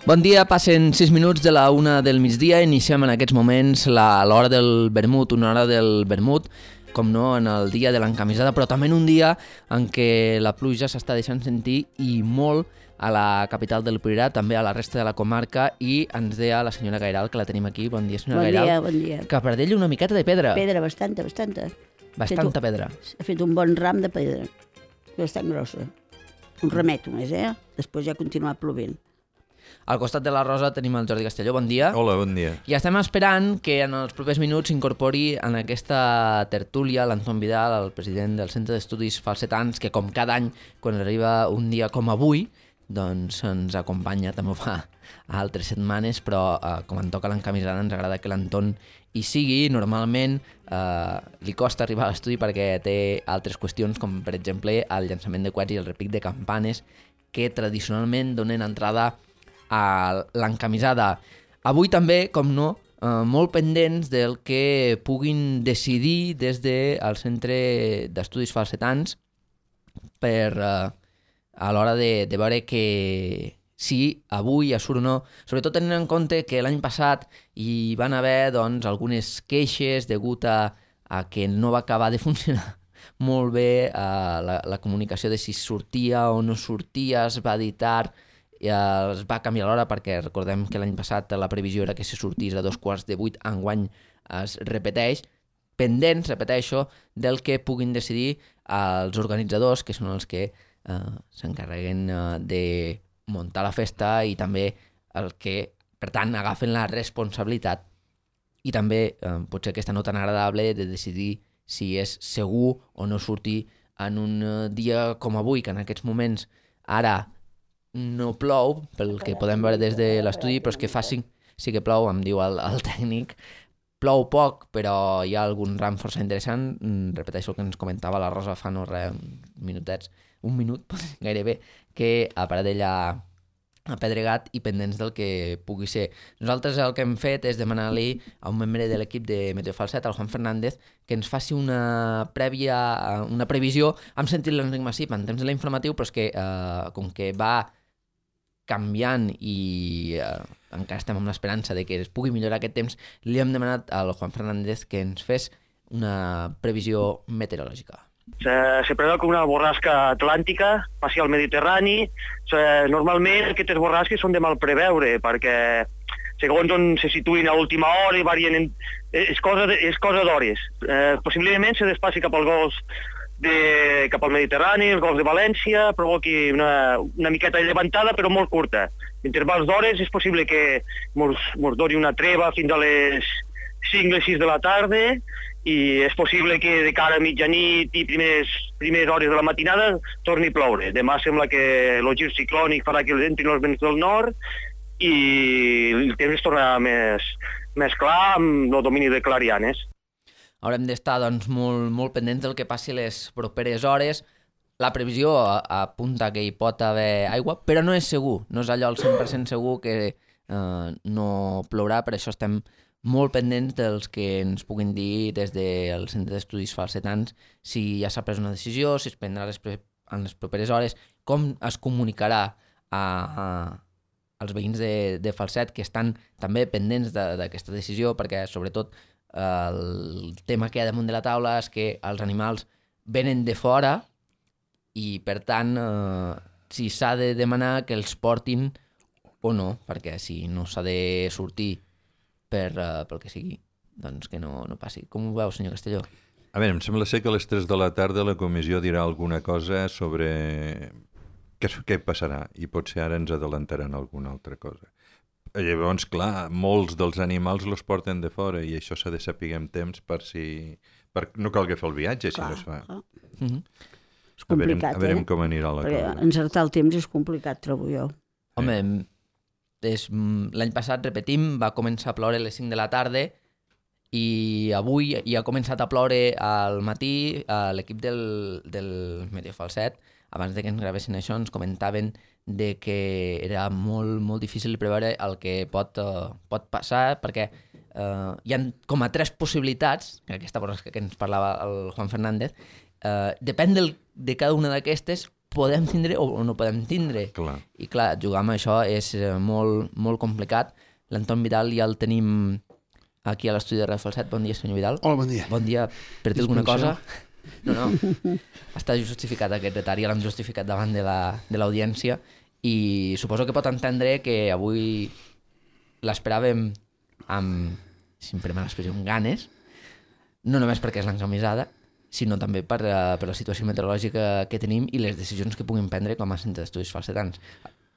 Bon dia, passen 6 minuts de la 1 del migdia, iniciem en aquests moments l'hora del vermut, una hora del vermut, com no, en el dia de l'encamisada, però també en un dia en què la pluja s'està deixant sentir i molt a la capital del Priorat, també a la resta de la comarca, i ens deia la senyora Gairal, que la tenim aquí. Bon dia, senyora Gairal. Bon dia. Que per d'ell una miqueta de pedra. Pedra, bastanta. Bastanta pedra. Ha fet un bon ram de pedra, bastant grossa. Un ramet només, Després ja continua plovent. Al costat de la Rosa tenim el Jordi Castelló. Bon dia. Hola, bon dia. I estem esperant que en els propers minuts s'incorpori en aquesta tertúlia l'Anton Vidal, el president del Centre d'Estudis Falsetans, que com cada any, quan arriba un dia com avui, doncs ens acompanya, també ho fa a altres setmanes, però com en toca l'encamisada ens agrada que l'Anton hi sigui. Normalment li costa arribar a l'estudi perquè té altres qüestions, com per exemple el llançament de coets i el repic de campanes, que tradicionalment donen entrada a l'encamisada. Avui també, com no, molt pendents del que puguin decidir des del Centre d'Estudis Falsetans per a l'hora de veure que si avui surt o no, sobretot tenint en compte que l'any passat hi van haver doncs, algunes queixes degut a que no va acabar de funcionar molt bé la comunicació de si sortia o no sortia, es va editar, es va canviar l'hora perquè recordem que l'any passat la previsió era que se sortís a 7:15, enguany es repeteix, pendents, repeteixo, del que puguin decidir els organitzadors, que són els que s'encarreguen de muntar la festa i també el que, per tant, agafen la responsabilitat i també potser aquesta no tan agradable de decidir si és segur o no sortir en un dia com avui, que en aquests moments ara no plou, pel que podem veure des de l'estudi, però és que sí que plou, em diu el tècnic. Plou poc, però hi ha algun ram força interessant. Repeteixo el que ens comentava la Rosa fa no res, un minut gairebé, que a Paradell ha pedregat i pendents del que pugui ser. Nosaltres el que hem fet és demanar-li a un membre de l'equip de Meteo Falset, el Juan Fernández, que ens faci una previsió. Hem sentit l'Enric Massip en temps de l'informatiu, però és que com que va canviant i encara estem amb l'esperança de que es pugui millorar aquest temps, li hem demanat al Juan Fernández que ens fes una previsió meteorològica. Se preveu que una borrasca atlàntica passi al Mediterrani. Normalment aquestes borrasques són de mal preveure perquè segons on se situïn a última hora i varien és cosa d'hores. Possiblement se desplaci cap al golf cap al Mediterrani, els golfs de València, provoqui una miqueta de llevantada però molt curta. Intervals d'hores és possible que mos doni una treva fins a les 5 o 6 de la tarda i és possible que de cara a mitjanit i primeres hores de la matinada torni a ploure. Demà sembla que el gir ciclònic farà que entrin els vents del nord i el temps es tornarà més clar amb el domini de clarianes. Haurem d'estar doncs, molt pendents del que passi les properes hores. La previsió apunta que hi pot haver aigua, però no és segur. No és allò al 100% segur que no plourà, per això estem molt pendents dels que ens puguin dir des del Centre d'Estudis Falsetans si ja s'ha pres una decisió, si es prendrà en les properes hores, com es comunicarà als veïns de Falset, que estan també pendents d'aquesta decisió, perquè sobretot el tema que hi ha damunt de la taula és que els animals venen de fora i per tant si s'ha de demanar que els portin o no, perquè si no s'ha de sortir pel que sigui, doncs que no passi. Com ho veu, senyor Castelló? A veure, em sembla ser que a les 3 de la tarda la comissió dirà alguna cosa sobre què passarà i potser ara ens adelantaran alguna altra cosa. Llavors, clar, molts dels animals los porten de fora i això s'ha de saber amb temps per no calgui fer el viatge, si no es fa. És complicat, a veurem com anirà la cosa. Encertar el temps és complicat, trobo jo. Home, l'any passat, repetim, va començar a ploure a les 5 de la tarda i avui ja ha començat a ploure al matí. L'equip del Meteo Falset, abans de que ens gravessin això, ens comentaven de que era molt, molt difícil preveure el que pot passar, perquè hi ha com a 3 possibilitats, aquesta cosa que ens parlava el Juan Fernández, depèn de cada una d'aquestes, podem tindre o no podem tindre. Clar. I clar, jugar amb això és molt, molt complicat. L'Anton Vidal ja el tenim aquí a l'estudi de Ràdio Falset. Bon dia, senyor Vidal. Hola, bon dia. Bon dia. Per dir alguna cosa? No. Està justificat aquest retard, ja l'hem justificat davant de l'audiència i suposo que pot entendre que avui l'esperàvem amb, si em permet l'expressió, amb ganes, no només perquè és l'encamisada, sinó també per la situació meteorològica que tenim i les decisions que puguin prendre com a centre d'estudis falsetans.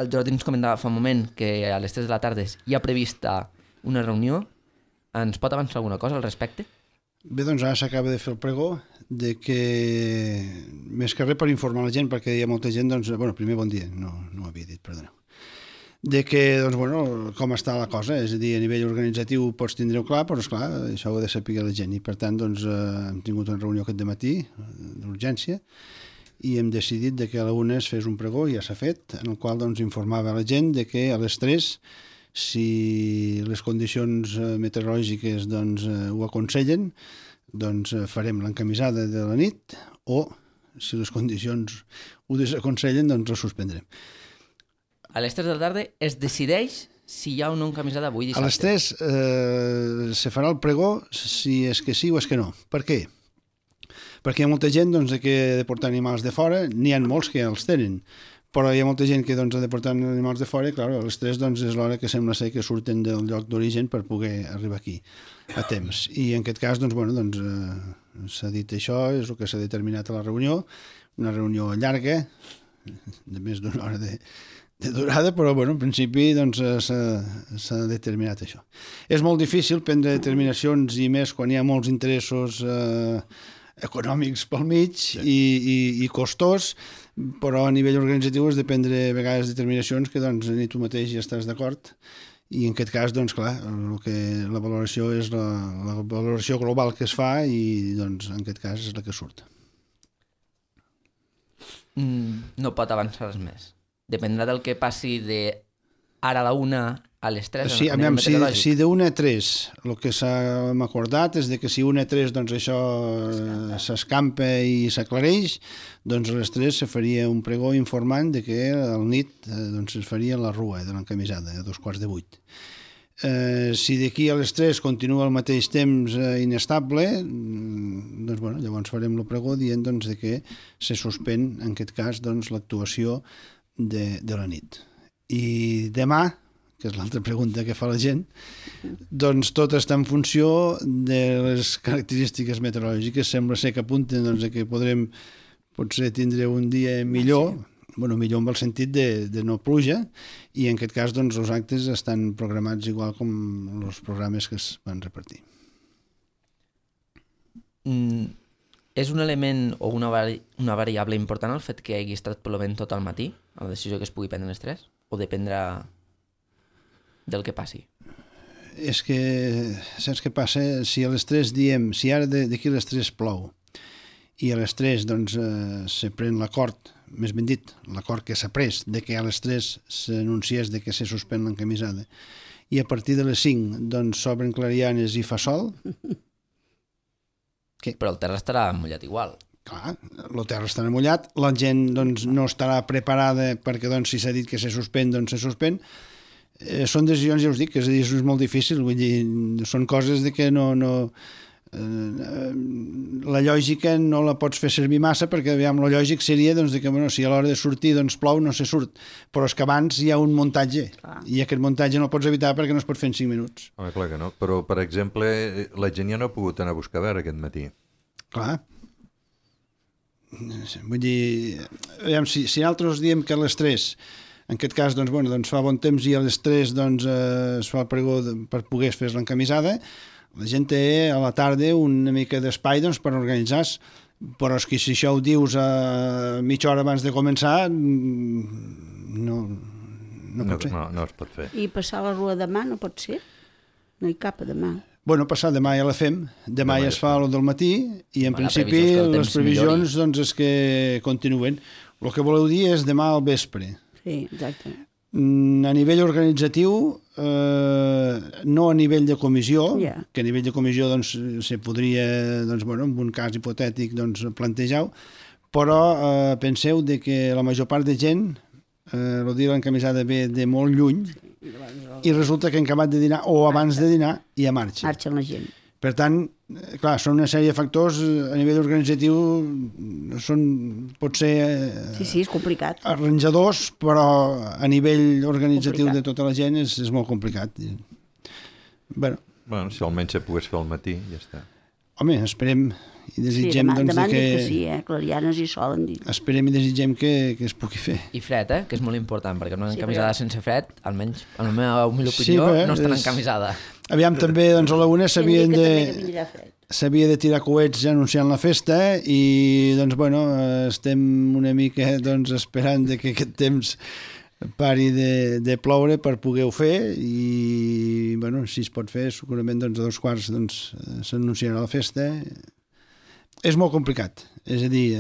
El Jordi ens comentava fa un moment que a les 3 de la tarda hi ha prevista una reunió. Ens pot avançar alguna cosa al respecte? Bé, doncs ara s'acaba de fer el pregó de que, més que res per informar la gent, perquè hi ha molta gent, doncs, bueno, primer bon dia, no ho havia dit, perdoneu, de que, doncs, bueno, com està la cosa, és a dir, a nivell organitzatiu pots tindre-ho clar, però, esclar, això ho ha de saber la gent, i per tant, doncs, hem tingut una reunió aquest dematí, d'urgència, i hem decidit de que a la 1 es fes un pregó, ja s'ha fet, en el qual, doncs, informava la gent de que a les 3, si les condicions meteorològiques, doncs, ho aconsellen, doncs farem l'encamisada de la nit, o, si les condicions ho desaconsellen, doncs ho suspendrem. A les 3 de la tarda es decideix si hi ha o no encamisada avui dissabte. A les 3 se farà el pregó si és que sí o és que no. Per què? Perquè hi ha molta gent doncs, que ha de portar animals de fora, n'hi ha molts que els tenen, però hi ha molta gent que doncs, ha de portar animals de fora i clar, a les 3 doncs, és l'hora que sembla ser que surten del lloc d'origen per poder arribar aquí a temps. I en aquest cas doncs, bueno, doncs, s'ha dit això, és el que s'ha determinat a la reunió, una reunió llarga, de més d'una hora de durada, però bueno, en principi doncs, s'ha determinat això. És molt difícil prendre determinacions i més quan hi ha molts interessos econòmics pel mig i costós, però a nivell organitzatiu has de prendre a vegades determinacions que doncs, ni tu mateix ja estàs d'acord i en aquest cas, doncs clar, la valoració és la valoració global que es fa i doncs en aquest cas és la que surt. No pot avançar res més. Dependrà del que passi de ara a la 1 a les 3. Sí, si de 1 a 3 el que s'ha acordat és de que si 1 a 3 doncs això s'escampa i s'aclareix, doncs a les 3 se faria un pregó informant de que al nit doncs, es faria la rua de l'encamisada a 7:15. Si d'aquí a les 3 continua al mateix temps inestable, doncs bueno, llavors farem el pregó dient doncs, de que se suspèn en aquest cas doncs, l'actuació de la nit. I demà, que és l'altra pregunta que fa la gent, doncs tot està en funció de les característiques meteorològiques. Sembla ser que apunten doncs, que podrem potser tindre un dia millor, bueno, millor en el sentit de no pluja, i en aquest cas doncs, els actes estan programats igual com els programes que es van repartir. És un element o una variable important el fet que hagi estat plovent tot el matí, a la decisió que es pugui prendre a les 3? O dependrà del que passi? És que, saps què passa? Si a les 3 diem, si ara d'aquí a les 3 plou, i a les 3 doncs, se pren l'acord, més ben dit, l'acord que s'ha pres de que a les 3 s'anunciés de que se suspèn l'encamisada, i a partir de les 5 doncs, s'obren clarianes i fa sol... Què? Però el terra estarà mullat igual. Clar, el terra estarà mullat, la gent doncs, no estarà preparada perquè doncs, si s'ha dit que se suspèn, doncs se suspèn. Són decisions, ja us dic, és a dir, és molt difícil, vull dir, són coses de que no la lògica no la pots fer servir massa perquè aviam, la lògic seria doncs, de que bueno, si a l'hora de sortir doncs, plou no se surt, però és que abans hi ha un muntatge i aquest muntatge no el pots evitar perquè no es pot fer en 5 minuts. Home, clar que no, però per exemple la gent ja no ha pogut anar a buscar a veure aquest matí. Clar, vull dir aviam, si nosaltres diem que a les 3 en aquest cas doncs, bueno, doncs fa bon temps i a les 3 doncs, es fa el pregó per poder fer l'encamisada. La gent té a la tarda una mica d'espai doncs, per organitzar-se, però és que si això ho dius a mitja hora abans de començar no pot ser. No es pot fer. I passar la rua demà no pot ser? No hi cap a demà. Bueno, passar demà ja la fem, demà ja es fa el del matí i en principi les previsions doncs, és que continuen. El que voleu dir és demà al vespre. Sí, exacte. A nivell organitzatiu, no a nivell de comissió, que a nivell de comissió doncs, se podria, doncs, bueno, en un cas hipotètic, doncs, plantejar-ho, però penseu de que la major part de gent, el dia l'encamisada ve de molt lluny, i resulta que han acabat de dinar, o abans de dinar, ja marxa. Marxa la gent. Per tant, clar, són una sèrie de factors a nivell organitzatiu, pot ser Sí, és complicat. arranjadors, però a nivell organitzatiu Complicat. de tota la gent és molt complicat. Bueno, Si almenys se pogués fer al matí, ja està. home, esperem i desitgem demà doncs, han dit que sí, clarianes hi solen dir. esperem i desitgem que es pugui fer. I fred, que és molt important, perquè una Sí, encamisada però- sense fred, almenys, en la meva humil Sí, opinió, bé, no estan és- encamisada. Aviam, també doncs, a la una També vindrà fred. s'havia de tirar coets anunciant la festa i doncs, bueno, estem una mica doncs, esperant de que aquest temps pari de ploure per poder-ho fer i bueno, si es pot fer segurament doncs, a 2:15 doncs, s'anunciarà la festa. És molt complicat, és a dir,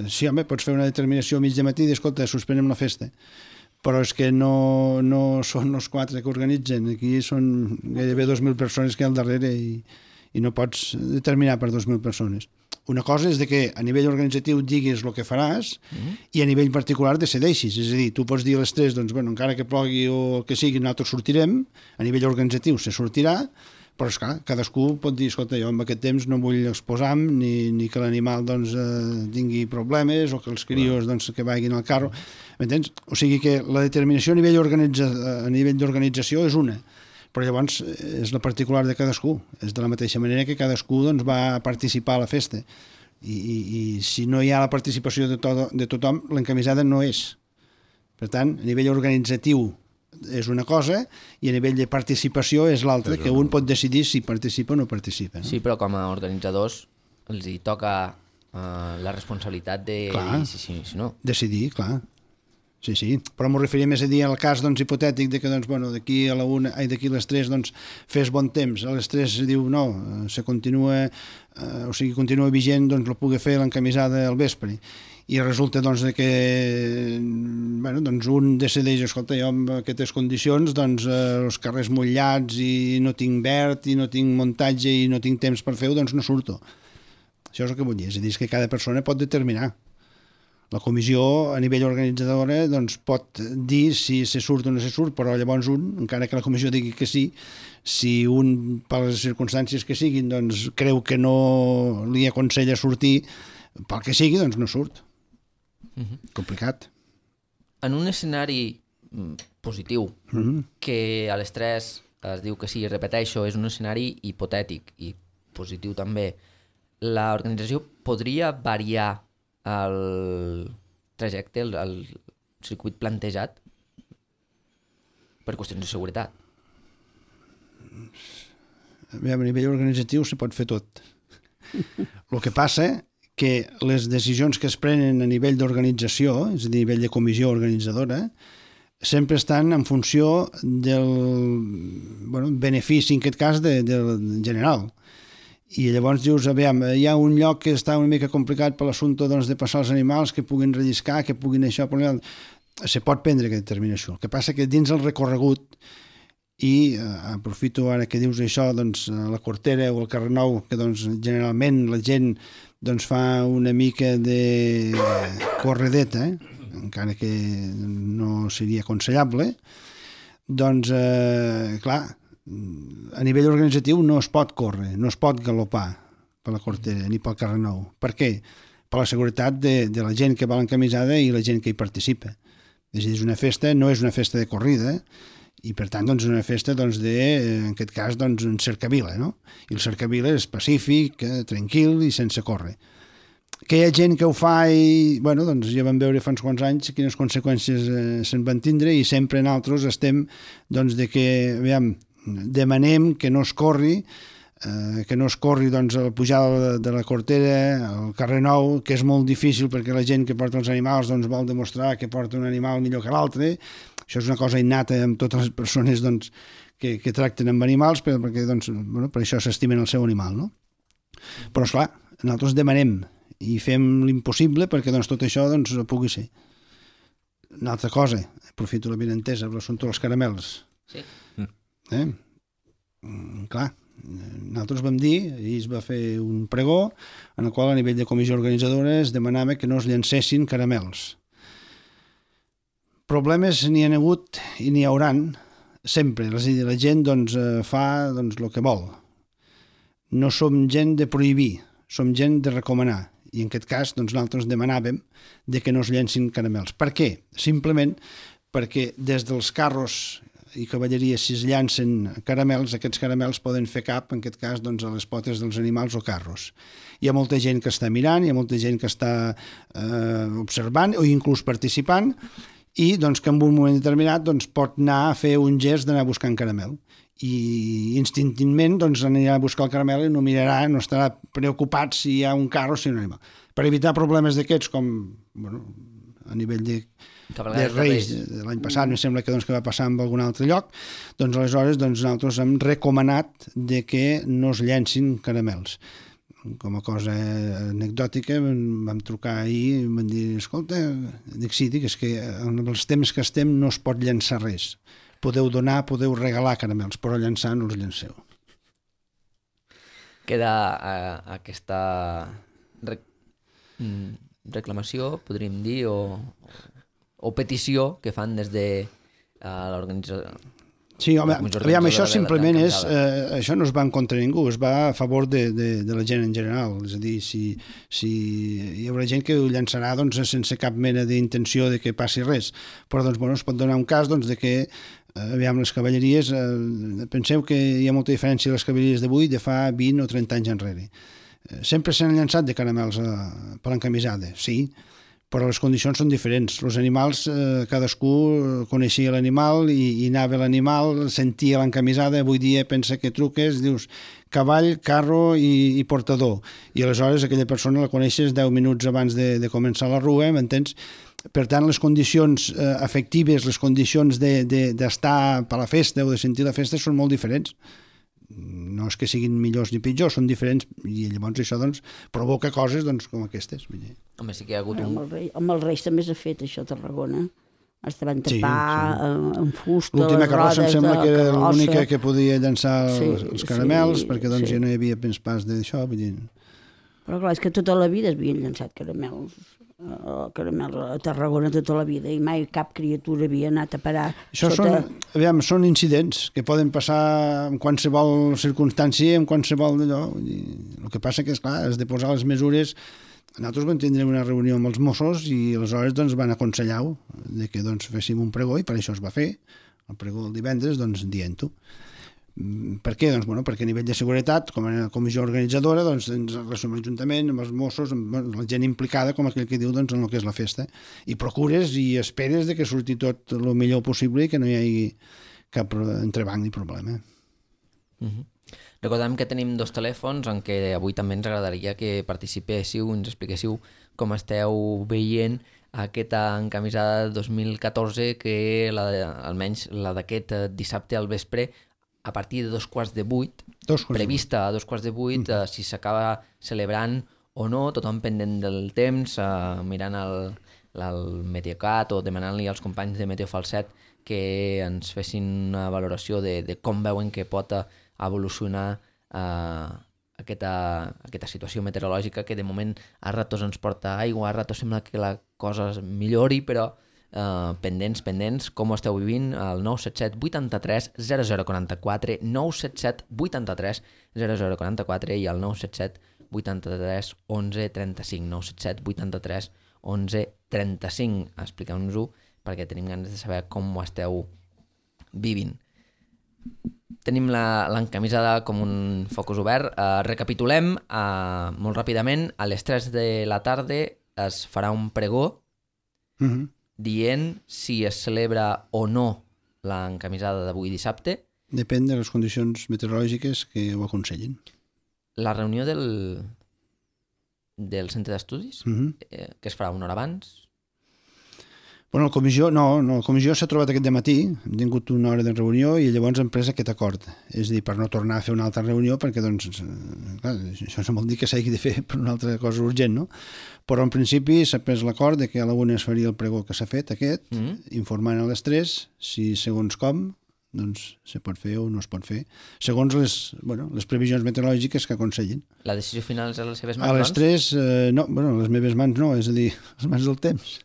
sí, home, pots fer una determinació a mig de matí i dir, escolta, suspenem la festa, però és que no són els 4 que organitzen, aquí són gairebé 2.000 persones que hi ha al darrere i no pots determinar per 2.000 persones. Una cosa és de que a nivell organitzatiu diguis el que faràs i a nivell particular decideixis, és a dir, tu pots dir a les 3, doncs, bueno, encara que plogui o el que sigui, nosaltres sortirem, a nivell organitzatiu se sortirà, però esclar, cadascú pot dir, escolta, jo en aquest temps no vull exposar-me ni que l'animal doncs, tingui problemes o que els crios doncs, que vagin al carro, m'entens? O sigui que la determinació a nivell d'organització és una, però llavors és la particular de cadascú, és de la mateixa manera que cadascú doncs, va participar a la festa i si no hi ha la participació de tothom, l'encamisada no és. Per tant, a nivell organitzatiu és una cosa i a nivell de participació és l'altra, que un pot decidir si participa o no participa. No? Sí, però com a organitzadors els hi toca la responsabilitat de Clar. dir si no. Decidir, clar. Sí, però m'ho referia més a dir al cas doncs, hipotètic de que doncs, bueno, d'aquí a les 3 doncs, fes bon temps, a les 3 diu no, se continua, continua vigent, doncs la pugui fer l'encamisada al vespre i resulta doncs, que bueno, doncs, un decideix, escolta, jo amb aquestes condicions doncs, els carrers mullats i no tinc verd i no tinc muntatge i no tinc temps per fer-ho, doncs no surto. Això és el que vull dir, és a dir, que cada persona pot determinar. La comissió a nivell organitzadora doncs, pot dir si se surt o no se surt, però llavors un, encara que la comissió digui que sí, si un, per les circumstàncies que siguin, doncs, creu que no li aconsella sortir, pel que sigui, doncs no surt. Complicat. En un escenari positiu, que a les 3 es diu que sí, repeteixo, és un escenari hipotètic i positiu també, l'organització podria variar el trajecte, el circuit plantejat per qüestions de seguretat? A nivell organitzatiu se pot fer tot. El que passa que les decisions que es prenen a nivell d'organització, és a dir, a nivell de comissió organitzadora, sempre estan en funció del benefici, en aquest cas, del general. I llavors dius, aviam, hi ha un lloc que està una mica complicat per l'assumpte doncs, de passar els animals, que puguin relliscar, que puguin això, se pot prendre aquesta determinació. El que passa que dins el recorregut, i aprofito ara que dius això, doncs, a la Cortera o al Carrer Nou, que doncs, generalment la gent doncs, fa una mica de corredeta, encara que no seria aconsellable, doncs, clar, a nivell organitzatiu no es pot córrer, no es pot galopar per la Cortera ni pel Carrer Nou. Per què? Per la seguretat de la gent que va a l'encamisada i la gent que hi participa. És a dir, una festa no és una festa de corrida i per tant doncs, una festa doncs, en aquest cas doncs, un cercavila, no? I el cercavila és pacífic, tranquil i sense córrer. Que hi ha gent que ho fa i bueno, doncs, ja vam veure fa uns quants anys quines conseqüències se'n van tindre i sempre nosaltres estem doncs, de que, aviam, demanem que no es corri doncs, a la pujada de la Cortera, al Carrer Nou, que és molt difícil perquè la gent que porta els animals doncs, vol demostrar que porta un animal millor que l'altre. Això és una cosa innata amb totes les persones doncs, que tracten amb animals perquè doncs, per això s'estimen el seu animal. No? Però, esclar, nosaltres demanem i fem l'impossible perquè doncs, tot això doncs, pugui ser. Una altra cosa, aprofito la benentesa per l'assumpte dels caramels. Sí. Clar, Nosaltres vam dir, ahir es va fer un pregó en el qual a nivell de comissió organitzadora es demanava que no es llancessin caramels. Problemes n'hi ha hagut i n'hi hauran sempre. És a dir, la gent fa el que vol. No som gent de prohibir, som gent de recomanar. I en aquest cas nosaltres demanàvem de que no es llencin caramels. Per què? Simplement perquè des dels carros i cavalleria, si es llancen caramels, aquests caramels poden fer cap, en aquest cas, a les potes dels animals o carros. Hi ha molta gent que està mirant, hi ha molta gent que està observant o inclús participant i que en un moment determinat pot anar a fer un gest d'anar buscant caramel. I instintivament anirà a buscar el caramel i no mirarà, no estarà preocupat si hi ha un carro o si hi ha un animal. Per evitar problemes d'aquests, com a nivell de Reis de l'any passat, em sembla que va passar en algun altre lloc, aleshores nosaltres hem recomanat de que no es llencin caramels. Com a cosa anecdòtica, vam trucar ahir i vam dir, escolta, és que en els temps que estem no es pot llançar res. Podeu donar, podeu regalar caramels, però llançar no els llanceu. Queda aquesta reclamació, podríem dir, o petició que fan des de l'organització. Sí, home, aviam, això simplement és... això no es va en contra de ningú, es va a favor de la gent en general. És a dir, si hi haurà gent que ho llançarà sense cap mena d'intenció de que passi res. Però es pot donar un cas de que, aviam, les cavalleries... penseu que hi ha molta diferència les cavalleries d'avui de fa 20 o 30 anys enrere. Sempre s'han llançat de caramels per l'encamisada, sí, però les condicions són diferents. Els animals, cadascú coneixia l'animal i anava l'animal, sentia l'encamisada. Avui dia pensa que truques, dius cavall, carro i portador. I aleshores aquella persona la coneixes 10 minuts abans de començar la rua, m'entens? Per tant, les condicions afectives, les condicions d'estar per la festa o de sentir la festa són molt diferents. No és que siguin millors ni pitjors, són diferents, i llavors això provoca coses com aquestes. Home, sí que hi ha hagut amb els Reis també s'ha fet això a Tarragona. Es van tapar amb fusta, l'última carrossa em sembla que era l'única que podia llançar els caramels, perquè ja no hi havia pas d'això. Però clar, és que tota la vida es havien llançat caramels a Tarragona tota la vida i mai cap criatura havia anat a parar. Això són incidents que poden passar en qualsevol circumstància, en qualsevol d'allò. El que passa que, esclar, has de posar les mesures. Nosaltres vam tindre una reunió amb els Mossos i aleshores van aconsellar que féssim un pregó i per això es va fer el pregó el divendres dient-ho. Per què? Perquè a nivell de seguretat, com a comissió organitzadora, ens resumim juntament amb els Mossos, amb la gent implicada, com aquell que diu, en el que és la festa. I procures i esperes que surti tot el millor possible i que no hi hagi cap entrebanc ni problema. Recordem que tenim 2 telèfons en què avui també ens agradaria que participéssiu, ens expliquéssiu com esteu veient aquesta encamisada 2014 que almenys la d'aquest dissabte al vespre a partir de 7:45, prevista a 7:45, si s'acaba celebrant o no, tothom pendent del temps, mirant el Meteocat o demanant-li als companys de Meteo Falset que ens fessin una valoració de com veuen que pot evolucionar aquesta situació meteorològica que de moment a ratos ens porta aigua, a ratos sembla que la cosa es millori, però pendents, com ho esteu vivint, al 977 83 0044, 977 83 0044 i al 977 83 11 35, 977 83 11 35. Expliqueu-nos-ho perquè tenim ganes de saber com ho esteu vivint. Tenim l'encamisada com un focus obert. Recapitulem molt ràpidament. A les 3 de la tarda es farà un pregó dient si es celebra o no l'encamisada d'avui dissabte. Depèn de les condicions meteorològiques que ho aconsellin. La reunió del centre d'estudis, que es farà una hora abans. Bueno, la comissió s'ha trobat aquest dematí, hem tingut una hora de reunió i llavors hem pres aquest acord. És a dir, per no tornar a fer una altra reunió, perquè clar, això no vol dir que s'hagi de fer per una altra cosa urgent, no? Però en principi s'ha pres l'acord que a la 1 es faria el pregó que s'ha fet, informant a les 3, si segons com, doncs se pot fer o no es pot fer, segons les previsions meteorològiques que aconsellen. La decisió final és a les seves mans, A les 3, no, les meves mans no, és a dir, les mans del temps.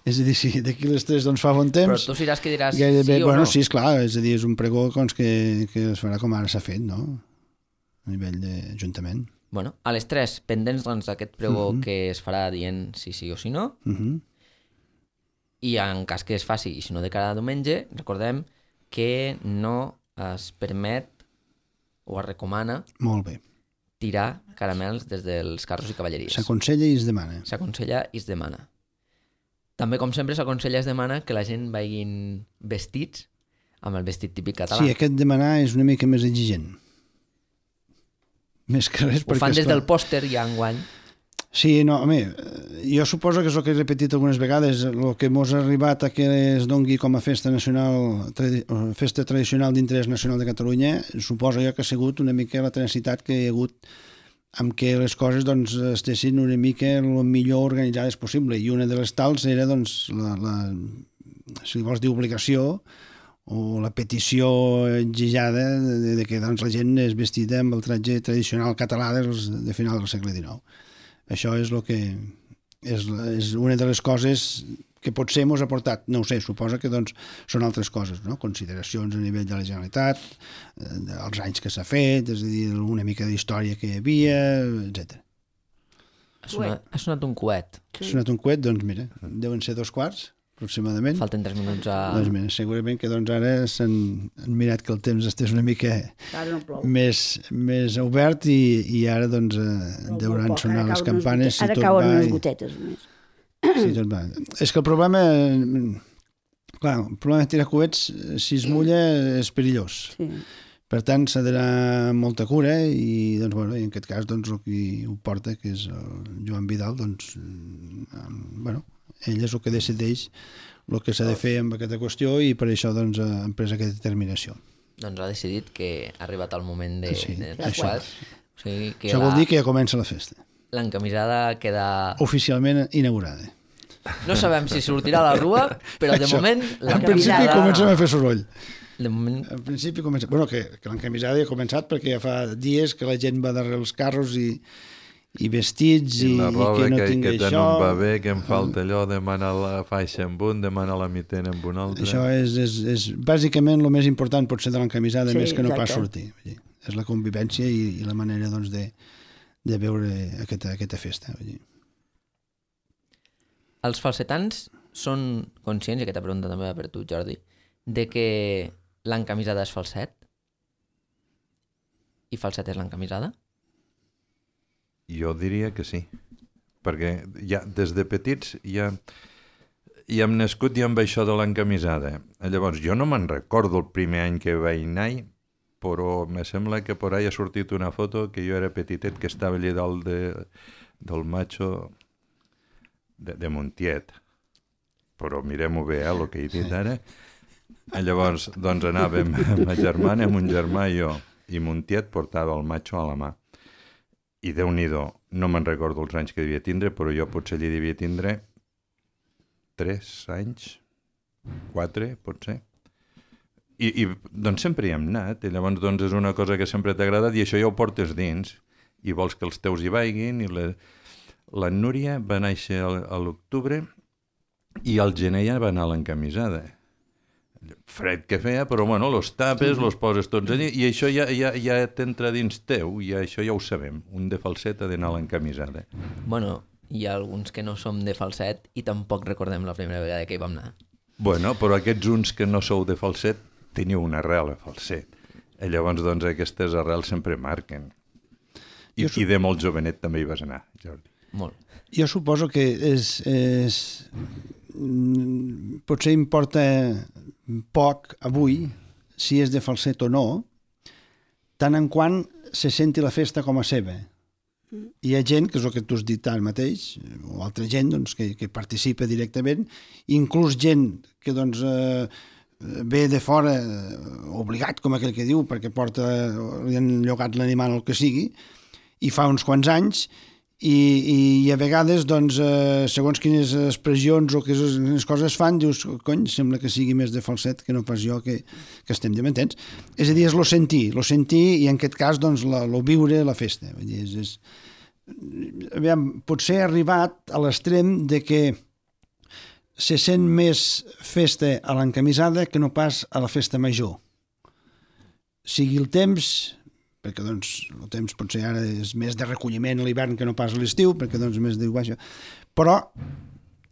És a dir, si d'aquí les 3 doncs fa bon temps... Però tu seràs que diràs gairebé, sí o no? Sí, esclar, és a dir, és un pregó doncs, que es farà com ara s'ha fet, no? A nivell d'Ajuntament. Bueno, a les 3, pendents doncs, d'aquest pregó que es farà dient si sí o si no, i en cas que es faci, i si no de cara a diumenge, recordem que no es permet o es recomana Molt bé. tirar caramels des dels carros i cavalleries. S'aconsella i es demana. S'aconsella i es demana. També, com sempre, s'aconsella i es demana que la gent vagin vestits amb el vestit típic català. Sí, aquest demanar és una mica més exigent. Més que res Ho perquè... fan des esclar, del pòster ja enguany. Sí, no, home, jo suposo que és el que he repetit algunes vegades, el que mos ha arribat a que es dongui com a festa nacional, festa tradicional d'interès nacional de Catalunya, suposo jo que ha sigut una mica la tenacitat que hi ha hagut amb què les coses doncs, estessin una mica el millor organitzades possible, i una de les tals era doncs, si vols dir obligació, o la petició exigida de que doncs, la gent és vestida amb el tratge tradicional català de final del segle XIX. Això és el que és una de les coses que potser mos ha portat, no ho sé, suposa que doncs, són altres coses, no? Consideracions a nivell de la Generalitat, els anys que s'ha fet, és a dir, una mica d'història que hi havia, etc. Ha sonat un coet. Ha sonat un coet, doncs mira, deuen ser 2:15, aproximadament. Falten 3 minuts a... Doncs mira, segurament que doncs, ara s'han mirat que el temps estés una mica No més obert i ara doncs, deuran sonar les campanes. Ara cauen unes gotetes més. Sí, tot va. És que el problema... Clar, el problema de tirar coets, si es mulla, és perillós. Sí. Per tant, s'ha d'anar amb molta cura i, doncs, bueno, en aquest cas, doncs, el qui ho porta, que és el Joan Vidal, doncs, bueno, ell és el que decideix el que s'ha de fer amb aquesta qüestió i per això doncs, han pres aquesta determinació. Doncs ha decidit que ha arribat el moment de... Sí, això. O sigui, que això vol dir que ja comença la festa. L'encamisada queda... Oficialment inaugurada. No sabem si sortirà a la rua, però de moment En principi comencem a fer soroll. De moment... En principi comença... Bueno, que l'encamisada ja ha començat perquè ja fa dies que la gent va darrere els carros i vestits i la roba que no tingui que això. no em va bé, que em falta allò, demana la faixa amb un, demana la mitena amb un altre. Això és bàsicament el més important potser de l'encamisada, Sí, més que no exacte. pas sortir. Vull dir, és la convivència i la manera doncs, de veure aquesta festa. Vull dir. Els falsetans són conscients, i aquesta pregunta també va per tu, Jordi, de que l'encamisada és falset? I falset és l'encamisada? Jo diria que sí, perquè ja, des de petits ja hem nascut ja amb això de l'encamisada. Llavors, jo no me'n recordo el primer any que vaig anar, però me sembla que por ahí ha sortit una foto que jo era petitet, que estava allà dalt del macho de Montiet. Però mirem-ho bé, el que he dit ara. Llavors, doncs anàvem amb ma germana, amb un germà i jo, i Montiet portava el macho a la mà. I Déu-n'hi-do, no me'n recordo els anys que devia tindre, però jo potser allí devia tindre 3 anys, 4, potser. I doncs sempre hi hem anat, i llavors doncs és una cosa que sempre t'ha agradat i això ja ho portes dins, i vols que els teus hi vagin, i la Núria va néixer a l'octubre i al gener ja va anar a l'encamisada. Fred que feia, però bueno, los tapes, los poses tots allí, i això ja t'entra dins teu, i això ja ho sabem. Un de falset ha d'anar a l'encamisada. Bueno, hi ha alguns que no som de falset i tampoc recordem la primera vegada que hi vam anar. Bueno, però aquests uns que no sou de falset teniu una arrel a falset. I llavors, doncs, aquestes arrels sempre marquen. I de molt jovenet també hi vas anar, Jordi. Molt. Jo suposo que potser importa poc avui si és de falset o no, tant en quant se senti la festa com a seva. Hi ha gent, que és el que tu has dit ara mateix, o altra gent doncs, que participa directament, inclús gent que doncs, ve de fora obligat, com aquell que diu, perquè li han llogat l'animal o el que sigui, i fa uns quants anys, i a vegades, doncs, segons quines expressions o quines coses fan, dius, cony, sembla que sigui més de falset que no pas jo que estem de m'entens. És a dir, és lo sentir i en aquest cas, doncs, lo viure la festa. Vull dir, aviam, potser ha arribat a l'extrem de que se sent més festa a l'encamisada que no pas a la festa major. Sigui el temps, perquè doncs, el temps potser ara és més de recolliment a l'hivern que no pas a l'estiu, perquè doncs més de baixa. Però,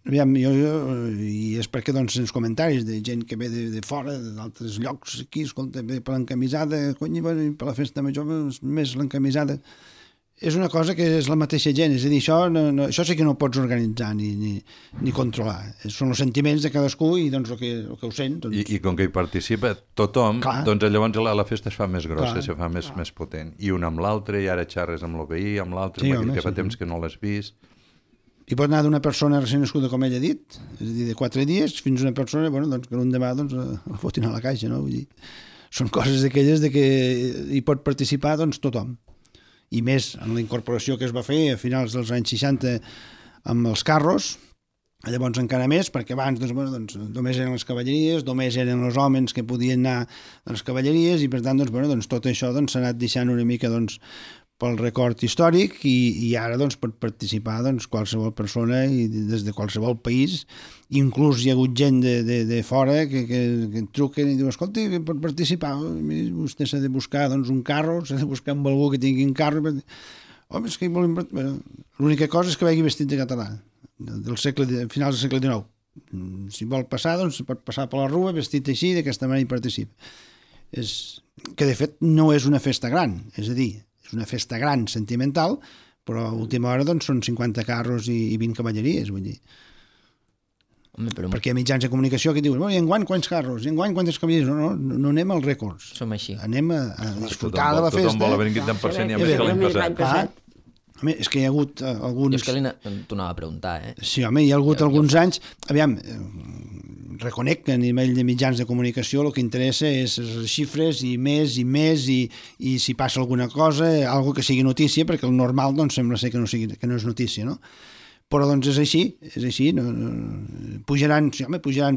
aviam, i és perquè doncs els comentaris de gent que ve de fora, d'altres llocs aquí, escolta, ve per l'encamisada, cony, per la festa major, més l'encamisada. És una cosa que és la mateixa gent, és a dir, això sí que no ho pots organitzar ni controlar. Són els sentiments de cadascú i doncs el que ho sent. Doncs... I com que hi participa tothom, doncs llavors la festa es fa més grossa, se fa més potent. I un amb l'altre, i ara xerres amb el veí, amb l'altre, que fa temps que no l'has vist. I pot anar d'una persona recent nascuda, com ell ha dit, és a dir, de 4 dies, fins a una persona doncs, que l'un demà doncs, la fotin a la caixa. No? Vull dir, són coses d'aquelles de que hi pot participar doncs, tothom. I més en la incorporació que es va fer a finals dels anys 60 amb els carros, llavors encara més, perquè abans doncs, només eren les cavalleries, només eren els homes que podien anar a les cavalleries i per tant tot això s'ha anat deixant una mica pel record històric i ara pot participar qualsevol persona i des de qualsevol país. Inclús hi ha hagut gent de fora que truquen i diuen, escolta, pot participar, vostè s'ha de buscar un carro, s'ha de buscar amb algú que tingui un carro. Home, és que l'única cosa és que vagi vestit de català, finals del segle XIX. Si vol passar, pot passar per la rua vestit així, d'aquesta manera hi participa. Que de fet no és una festa gran, és a dir, és una festa gran, sentimental, però a última hora són 50 carros i 20 cavalleries, vull dir. Home, però... Perquè hi ha mitjans de comunicació que diuen, i enguany quants carros, i enguany quantes cavalleries, no anem als rècords. Som així. Anem a disfrutar de la festa. Tothom vol haver vingut tant per cent i a més que l'any passat. Home, és que hi ha hagut alguns... Jo és que t'ho anava a preguntar, Sí, home, hi ha hagut alguns anys... Aviam, reconec que a nivell de mitjans de comunicació el que interessa és les xifres i més i si passa alguna cosa, algo que sigui notícia, perquè el normal sembla ser que no és notícia, no? Però és així, pujaran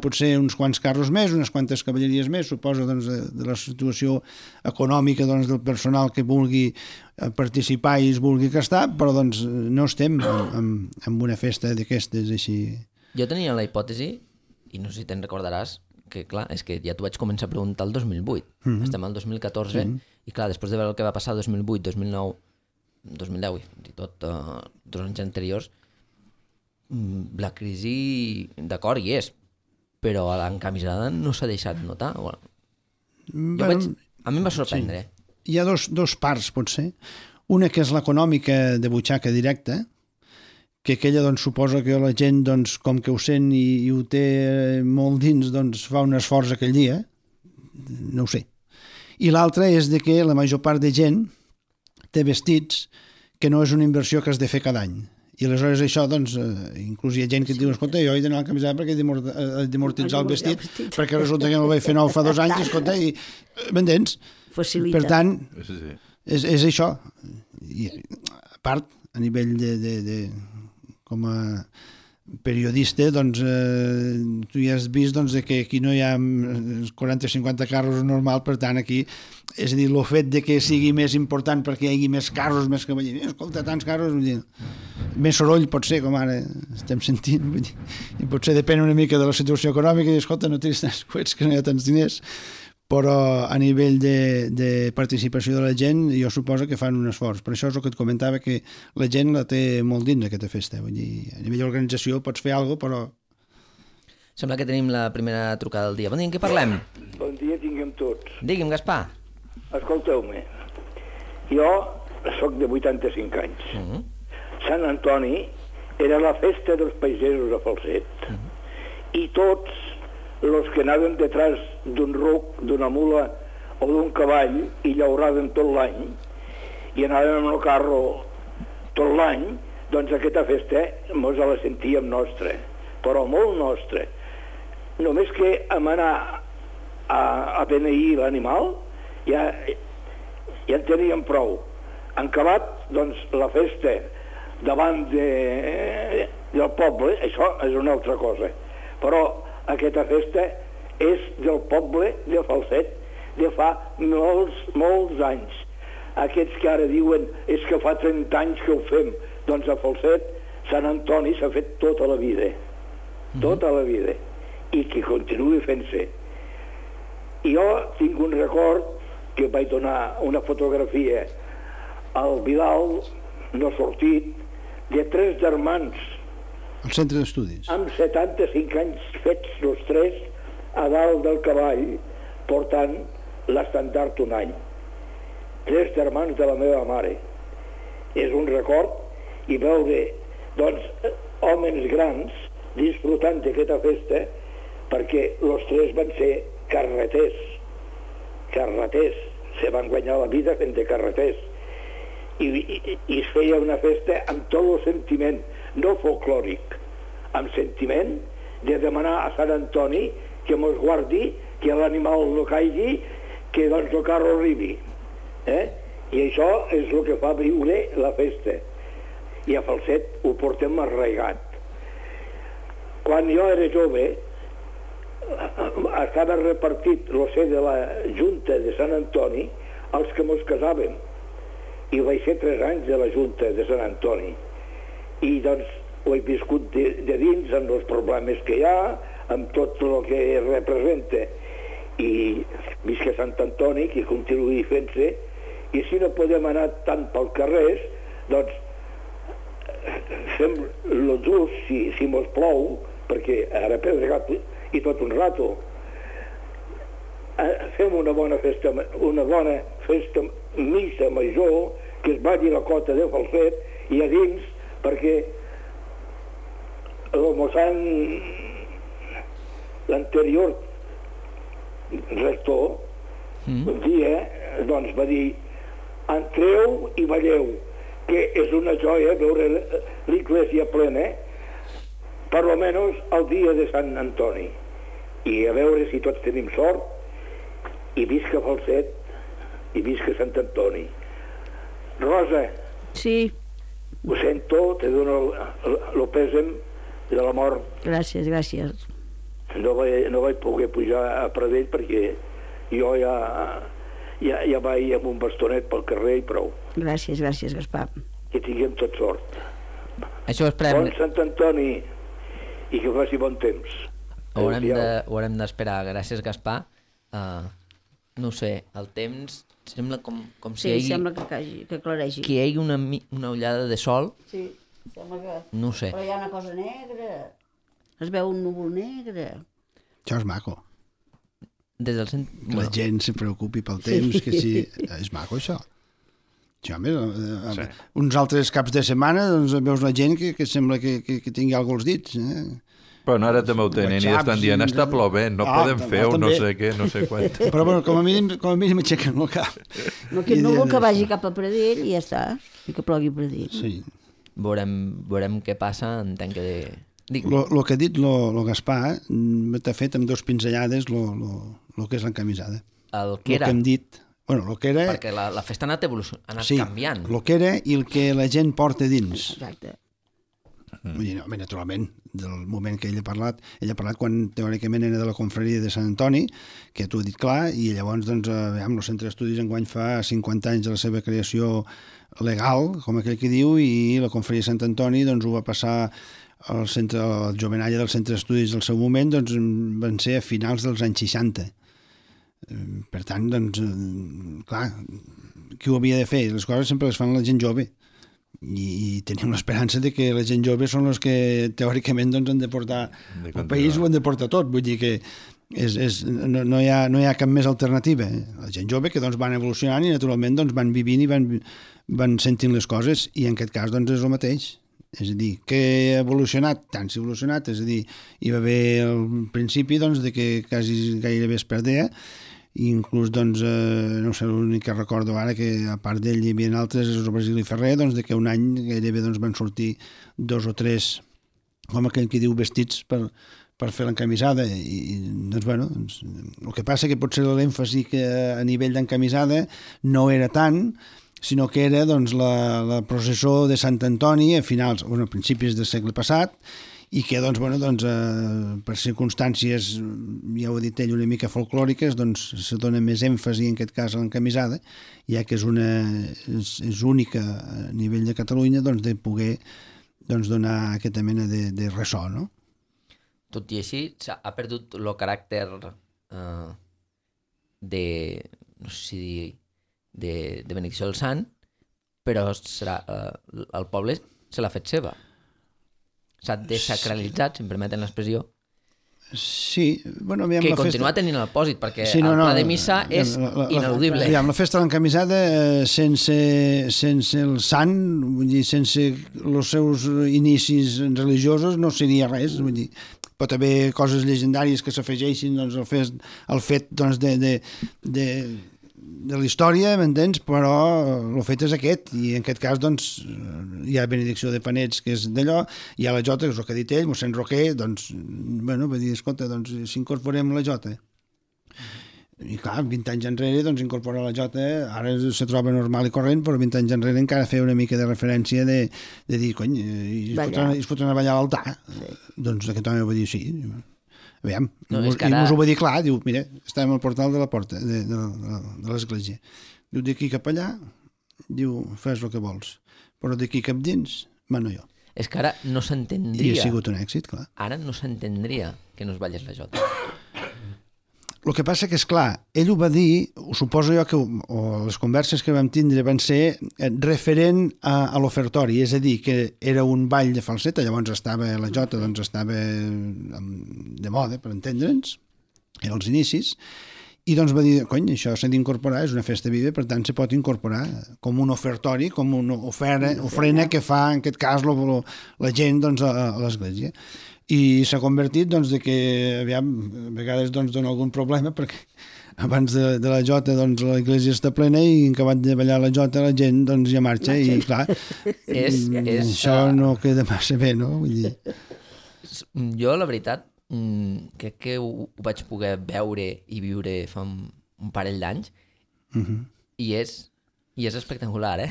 potser uns quants carros més, unes quantes cavalleries més, suposo de la situació econòmica del personal que vulgui participar i es vulgui gastar, però no estem en una festa d'aquestes així. Jo tenia la hipòtesi, i no sé si te'n recordaràs, que clar, és que ja t'ho vaig començar a preguntar el 2008, estem al 2014, i clar, després de veure el que va passar el 2008, 2009, 2010 i tot, 2 anys anteriors, la crisi, d'acord, hi és, però a l'encamisada no s'ha deixat notar. A mi em va sorprendre. Sí. Hi ha dos parts, potser. Una que és l'econòmica de butxaca directa, que aquella suposa que la gent, com que ho sent i ho té molt dins, fa un esforç aquell dia, no ho sé. I l'altra és de que la major part de gent té vestits que no és una inversió que has de fer cada any. I aleshores això, inclús hi ha gent que et diu, escolta, jo he d'anar a camisar perquè he d'amortitzar el vestit, perquè resulta que no el vaig fer nou fa 2 anys, escolta, i m'entens? Facilita. Per tant, és això. I, a part, a nivell de com a periodista, tu ja has vist que aquí no hi ha 40-50 carros normal, per tant aquí, és a dir, el fet de que sigui més important perquè hi hagi més carros, més cavalleries, escolta, tants carros, vull dir, més soroll pot ser, com ara estem sentint, vull dir, i potser depèn una mica de la situació econòmica i escolta, no tens tants coets que no hi ha tants diners, però a nivell de participació de la gent jo suposo que fan un esforç. Per això és el que et comentava, que la gent la té molt dins aquesta festa. Vull dir, a nivell d'organització pots fer alguna cosa, però... Sembla que tenim la primera trucada del dia. Bon dia, en què parlem? Bon dia tinguem tots. Digui'm, Gaspar. Escolteu-me, jo sóc de 85 anys. Sant Antoni era la festa dels pagesos a Falset. I tots els que anàvem detrás d'un ruc, d'una mula o d'un cavall i llauràvem tot l'any i anàvem amb el carro tot l'any, doncs aquesta festa mos la sentíem nostra, però molt nostra. Només que vam anar a beneir l'animal ja en teníem prou. En acabat, doncs, la festa davant del poble, això és una altra cosa. Però aquesta festa és del poble de Falset de fa molts anys. Aquests que ara diuen és que fa 30 anys que ho fem, doncs a Falset Sant Antoni s'ha fet tota la vida, tota la vida, i que continuï fent-se. I jo tinc un record que vaig donar una fotografia al Vidal, no sortit, de 3 germans Al centre d'estudis. amb 75 anys fets els 3 a dalt del cavall portant l'estandard un any. 3 germans de la meva mare. És un record i veure, doncs, homes grans disfrutant d'aquesta festa perquè els 3 van ser carreters, se van guanyar la vida fent de carreters. I es feia una festa amb tot el sentiment, no folclòric, amb sentiment de demanar a Sant Antoni que mos guardi, que l'animal no caigui, que doncs el carro arribi. I això és el que fa viure la festa. I a Falset ho portem arraigat. Quan jo era jove, estava repartit el ser de la Junta de Sant Antoni als que mos casàvem. I vaig ser 3 anys de la Junta de Sant Antoni. I doncs ho he viscut de dins, amb els problemes que hi ha, amb tot el que representa. I visca Sant Antoni, que continuï fent-se, i si no podem anar tant pel carrer, doncs fem el just, si mos plou, perquè ara ha pedregat i tot un rato. Fem una bona festa missa major, que es vagi la cota de Falset i a dins, perquè el mossèn, l'anterior rector, un dia doncs va dir: entreu i balleu, que és una joia veure l'església plena, per lo menos el dia de Sant Antoni. I a veure si tots tenim sort, i visca Falset, i visca Sant Antoni. Rosa, Sí, ho sento, te dono el pèsem de la mort. gràcies. No vaig poder pujar a Pradell perquè jo ja vaig amb un bastonet pel carrer i prou. Gràcies, Gaspar. Que tinguem tot sort. Això ho esperem. Bon Sant Antoni i que faci bon temps. Ho haurem d'esperar. Gràcies, Gaspar. No sé, el temps sembla com si Sí, sembla que claregi. hi hagi una ullada de sol. Sí, sembla que... No ho sé. Però hi ha una cosa negra. Es veu un núvol negre. Això és maco. Des del Que la gent se preocupi pel temps, que sí... És maco, això. Això, home, uns altres caps de setmana doncs veus la gent que sembla que tingui alguna cosa als dits. Però ara també ho tenen i estan dient està plovent, no podem fer un no sé què, no sé quant. Però bueno, com a mínim aixequen el cap. No, aquest núvol que vagi cap a Pradell i ja està. I que plogui a Pradell. Sí. Veurem què passa, entenc que... El que ha dit el Gaspar t'ha fet amb 2 pinzellades el que és l'encamisada. El que era... El que hem dit... Bueno, el que era... Perquè la festa ha anat canviant. El que era i el que la gent porta dins. Exacte. Vull dir, no, naturalment, del moment que ell ha parlat quan teòricament era de la confraria de Sant Antoni, que t'ho he dit clar, i llavors, doncs, el Centre d'Estudis enguany fa 50 anys de la seva creació legal, com aquell que diu, i la confraria de Sant Antoni doncs, ho va passar al centre, el jovenalla del Centre d'Estudis del seu moment, doncs, van ser a finals dels anys 60. Per tant, doncs, clar, qui ho havia de fer? Les coses sempre les fan la gent jove. I tenim l'esperança de que la gent jove són els que teòricament doncs, han de portar el país, ho han de portar tot, vull dir que no hi ha cap més alternativa. La gent jove que doncs, van evolucionant i naturalment doncs, van vivint i van sentint les coses, i en aquest cas doncs, és el mateix. És a dir, que ha evolucionat, tant s'ha evolucionat, és a dir, hi va haver al principi doncs, de que quasi gairebé es perdea, i inclús, doncs, no sé, l'únic que recordo ara, que a part d'ell hi havia altres, és el Basili Ferrer, doncs, de que un any gairebé doncs, van sortir 2 o 3, com aquell que diu, vestits per fer l'encamisada. I doncs, bueno, el que passa que potser l'èmfasi que a nivell d'encamisada no era tant, sinó que era doncs, la processó de Sant Antoni a principis del segle passat, i que doncs, per circumstàncies, ja ho ha dit ell, una mica folclòriques, doncs se dona més èmfasi en aquest cas a l'encamisada, ja que és única a nivell de Catalunya doncs, de poder donar aquesta mena de ressò, no? Tot i així, ha perdut el caràcter de, no sé si dir, de benedicció del sant, però el poble se l'ha fet seva. S'ha desacralitzat, si em permeten l'expressió. Sí, bueno, aviam, que continua tenint el pòsit, perquè el pla de missa és ineludible. Aviam, la festa de l'encamisada, sense el sant, vull dir, sense els seus inicis religiosos, no seria res, vull dir, pot haver coses llegendàries que s'afegeixin doncs, al fet doncs, de la història, m'entens? Però el fet és aquest, i en aquest cas doncs, hi ha benedicció de panets, que és d'allò, hi ha la jota, que és el que ha dit ell, mossèn Roquer, doncs, bueno, va dir, escolta, doncs, si incorporem la jota. I clar, 20 anys enrere, doncs, incorporar la jota, ara se troba normal i corrent, però 20 anys enrere encara feia una mica de referència de dir, cony, es fotran a ballar a l'altar. Sí. Doncs aquest home va dir, sí. Aviam, i mos ho va dir clar, diu, mira, estàvem al portal de la porta de l'església. Diu, d'aquí cap allà, diu, fes el que vols, però d'aquí cap dins, mano jo. És que ara no s'entendria... I ha sigut un èxit, clar. Ara no s'entendria que no es ballés la jota. El que passa que, és clar, ell ho va dir, ho suposo jo que les converses que vam tindre van ser referent a l'ofertori, és a dir, que era un ball de falseta, llavors estava la jota, doncs estava de moda, per entendre'ns, eren els inicis, i doncs va dir, cony, això s'ha d'incorporar, és una festa viva, per tant se pot incorporar com un ofertori, com una ofrena que fa, en aquest cas, la gent doncs, a l'església. I s'ha convertit doncs, que aviam, a vegades doncs, dona algun problema perquè abans de la jota doncs, l'església està plena i en acabat de ballar la jota la gent doncs, ja marxa i clar, això no queda massa bé, no? Vull dir... Jo, la veritat, crec que ho vaig poder veure i viure fa un parell d'anys i és espectacular,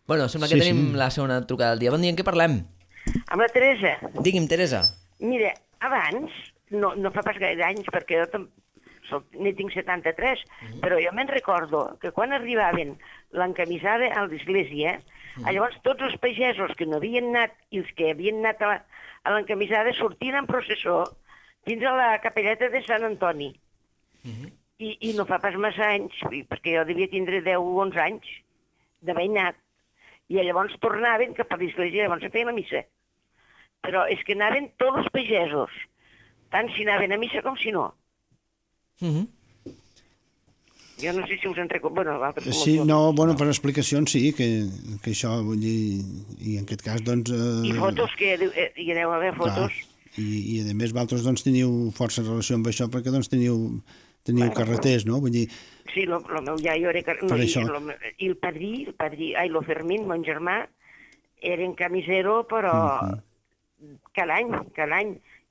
Bueno, sembla que tenim la segona trucada del dia. Bon dia, en què parlem? Amb la Teresa. Digui'm, Teresa. Mira, abans, no fa pas gaire anys, perquè jo n'hi tinc 73, però jo me'n recordo que quan arribaven l'encamisada a l'església, llavors tots els pagesos que no havien anat i els que havien anat a l'encamisada sortien en processó fins a la capelleta de Sant Antoni. I no fa pas massa anys, perquè jo devia tindre 10 o 11 anys d'haver anat. I llavors tornaven cap a l'església, llavors se feia la missa. Però és que anaven tots els pagesos, tant si anaven a missa com si no. Jo no sé si us en recordo... Sí, no, bueno, per explicacions sí, que això, vull dir, i en aquest cas, doncs... I fotos, que hi aneu a veure fotos. I a més, vosaltres doncs teniu força relació amb això, perquè doncs teniu carreters, no? Vull dir... Sí, el meu iaio era... I el padrí, el Fermín, mon germà, era en camisero, però cada any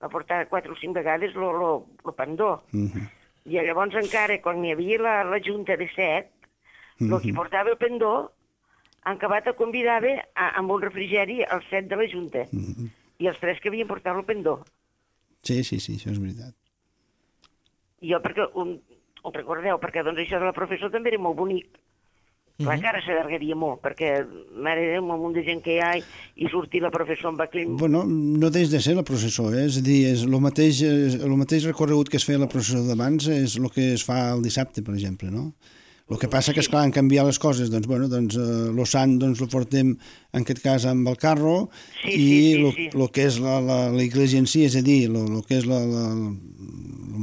va portar 4 o 5 vegades el pendó. I llavors encara, quan hi havia la junta de 7, el que portava el pendó, en acabat el convidava amb un refrigeri als 7 de la junta. I els 3 que havien portat el pendó. Sí, això és veritat. Jo, perquè ho recordeu, perquè doncs això de la professó també era molt bonic. Clar que ara s'allargaria molt, perquè, mare Déu, un munt de gent que hi ha i sortir la professó amb aquell... Bueno, no deix de ser la processó, és a dir, el mateix recorregut que es feia la processó d'abans és el que es fa el dissabte, per exemple, no? El que passa que, esclar, han canviat les coses, doncs, bueno, doncs, lo sant, doncs, lo portem, en aquest cas, amb el carro, i el que és l'església en si, és a dir, el que és el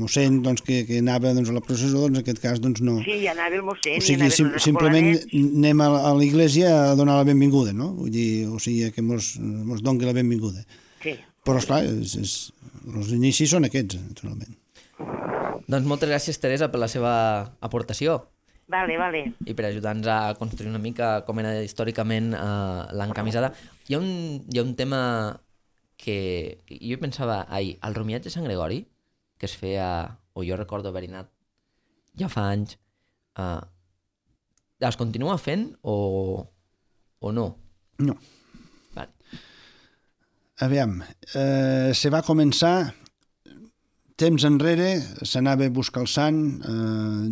mossèn, doncs, que anava doncs, a la processó, doncs, en aquest cas, doncs, no. Sí, ja anava el mossèn. O sigui, simplement anem a l'església a donar la benvinguda, no? Vull dir, o sigui, que mos doni la benvinguda. Sí. Però, esclar, els inicis són aquests, naturalment. Doncs moltes gràcies, Teresa, per la seva aportació. Vale. I per ajudar-nos a construir una mica com era històricament l'encamisada. Hi ha un tema que jo pensava ahir, el romiatge de Sant Gregori, que es feia, o jo recordo haver anat ja fa anys, es continua fent o no? No. Vale. Aviam, se va començar temps enrere, s'anava a buscar el sant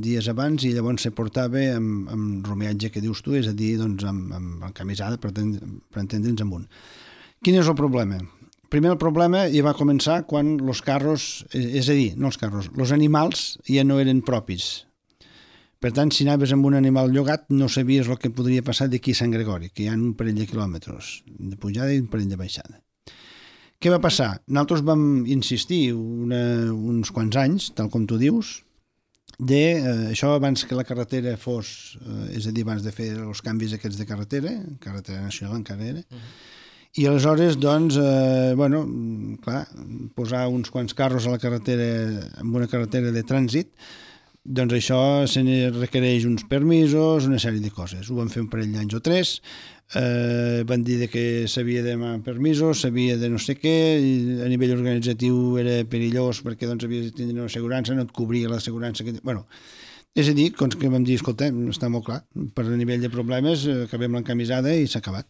dies abans i llavors se portava amb romeatge que dius tu, és a dir, doncs, amb camisada, per entendre'ns amb un. Quin és el problema? Primer el problema ja va començar quan els carros, és a dir, no els carros, els animals ja no eren propis. Per tant, si anaves amb un animal llogat, no sabies el que podria passar d'aquí a Sant Gregori, que hi ha un parell de quilòmetres de pujada i un parell de baixada. Què va passar? Nosaltres vam insistir uns quants anys, tal com tu dius, això abans que la carretera fos, és a dir, abans de fer els canvis aquests de carretera nacional encara era, i aleshores, doncs, clar, posar uns quants carros a la carretera, en una carretera de trànsit, doncs això se requereix uns permisos, una sèrie de coses. Ho van fer un parell d'anys o 3, van dir que s'havia de demanar permisos, s'havia de no sé què, i a nivell organitzatiu era perillós perquè doncs havies de tenir una assegurança, no et cobria l'assegurança que... Bueno, és a dir, que vam dir, escolta, està molt clar, per a nivell de problemes acabem l'encamisada i s'ha acabat.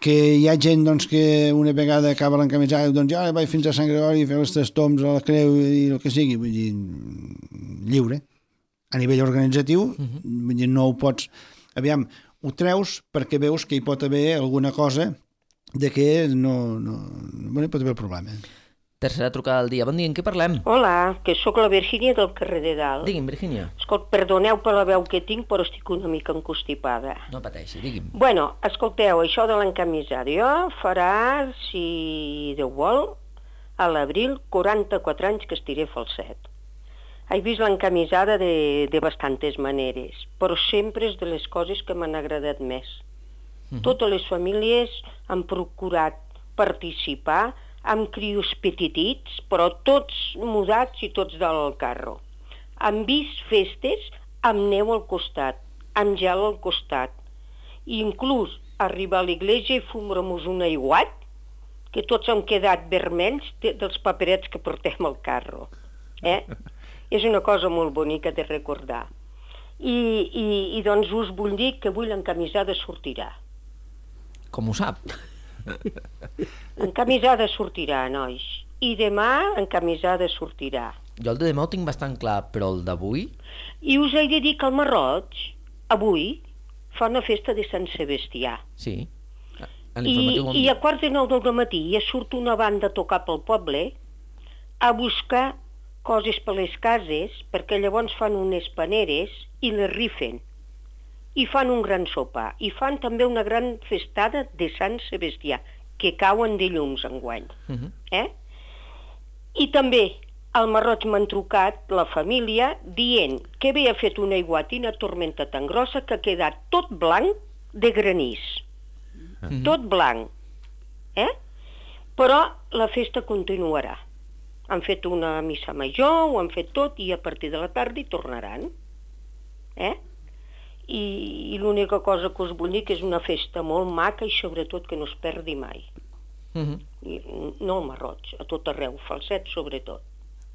Que hi ha gent doncs, que una vegada acaba l'encamisada i doncs ja vaig fins a Sant Gregori a fer els 3 tombs a la creu i el que sigui, vull dir, lliure. A nivell organitzatiu, vull dir, no ho pots... Aviam, ho treus perquè veus que hi pot haver alguna cosa de que hi pot haver el problema. Tercera trucada del dia. Bon dia, en què parlem? Hola, que sóc la Virgínia del carrer de Dalt. Digui'm, Virgínia. Escolta, perdoneu per la veu que tinc, però estic una mica encostipada. No pateixi, digui'm. Bueno, escolteu, això de l'encamisada. Jo farà, si Déu vol, a l'abril, 44 anys que estiré falset. He vist l'encamisada de bastantes maneres, però sempre és de les coses que m'han agradat més. Totes les famílies han procurat participar amb crios petitits, però tots mudats i tots dalt al carro. Han vist festes amb neu al costat, amb gel al costat. I inclús arribar a l'església i fumar-nos un aiguat, que tots han quedat vermells dels paperets que portem al carro. És una cosa molt bonica de recordar. I doncs us vull dir que avui l'encamisada sortirà. Com ho sap? Encamisada sortirà, nois. I demà encamisada sortirà. Jo el de demà ho tinc bastant clar, però el d'avui... I us he de dir que el Marroig, avui, fa una festa de Sant Sebastià. Sí. I a 8:45 del matí ja surt una banda a tocar pel poble a buscar coses per les cases, perquè llavors fan unes paneres i les rifen. I fan un gran sopar. I fan també una gran festada de Sant Sebastià, que cauen de llums enguany. I també al Marroig m'han trucat la família dient que havia fet una aiguat i una tormenta tan grossa que ha quedat tot blanc de granís. Tot blanc. Però la festa continuarà. Han fet una missa major, ho han fet tot, i a partir de la tarda hi tornaran. I l'única cosa que us vull dir que és una festa molt maca i sobretot que no es perdi mai. No al Marroig, a tot arreu, Falset sobretot.